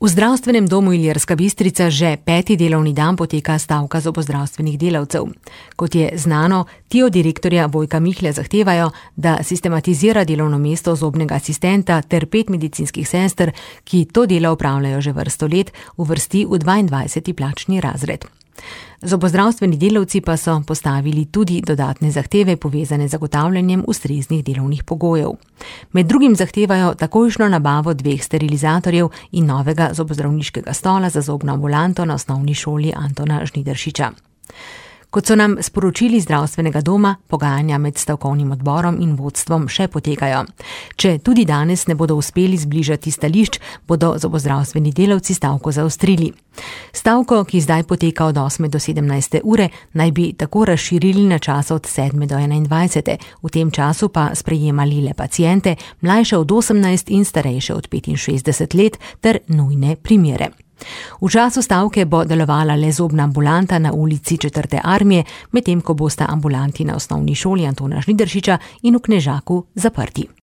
V zdravstvenem domu Ilirska Bistrica že 5. delovni dan poteka stavka zobozdravstvenih delavcev. Kot je znano, ti od direktorja Vojka Mihlja zahtevajo, da sistematizira delovno mesto zobnega asistenta ter 5 medicinskih sester, ki to delo opravljajo že vrsto let, uvrsti v 22. plačni razred. Zobozdravstveni delavci pa so postavili tudi dodatne zahteve povezane z zagotavljanjem ustreznih delovnih pogojev. Med drugim zahtevajo takojšnjo nabavo 2 sterilizatorjev in novega zobozdravniškega stola za zobno ambulanto na osnovni šoli Antona Žnidaršiča. Kot so nam sporočili zdravstvenega doma, pogajanja med stavkovnim odborom in vodstvom še potekajo. Če tudi danes ne bodo uspeli zbližati stališč, bodo zobozdravstveni delavci stavko zaostrili. Stavko, ki zdaj poteka od 8. do 17. ure, naj bi tako razširili na čas od 7. do 21. V tem času pa sprejemali le paciente, mlajše od 18 in starejše od 65 let ter nujne primere. V času stavke bo delovala le zobna ambulanta na ulici 4. armije, medtem ko bosta ambulanti na osnovni šoli Antona Žnidaršiča in v Knežaku zaprti.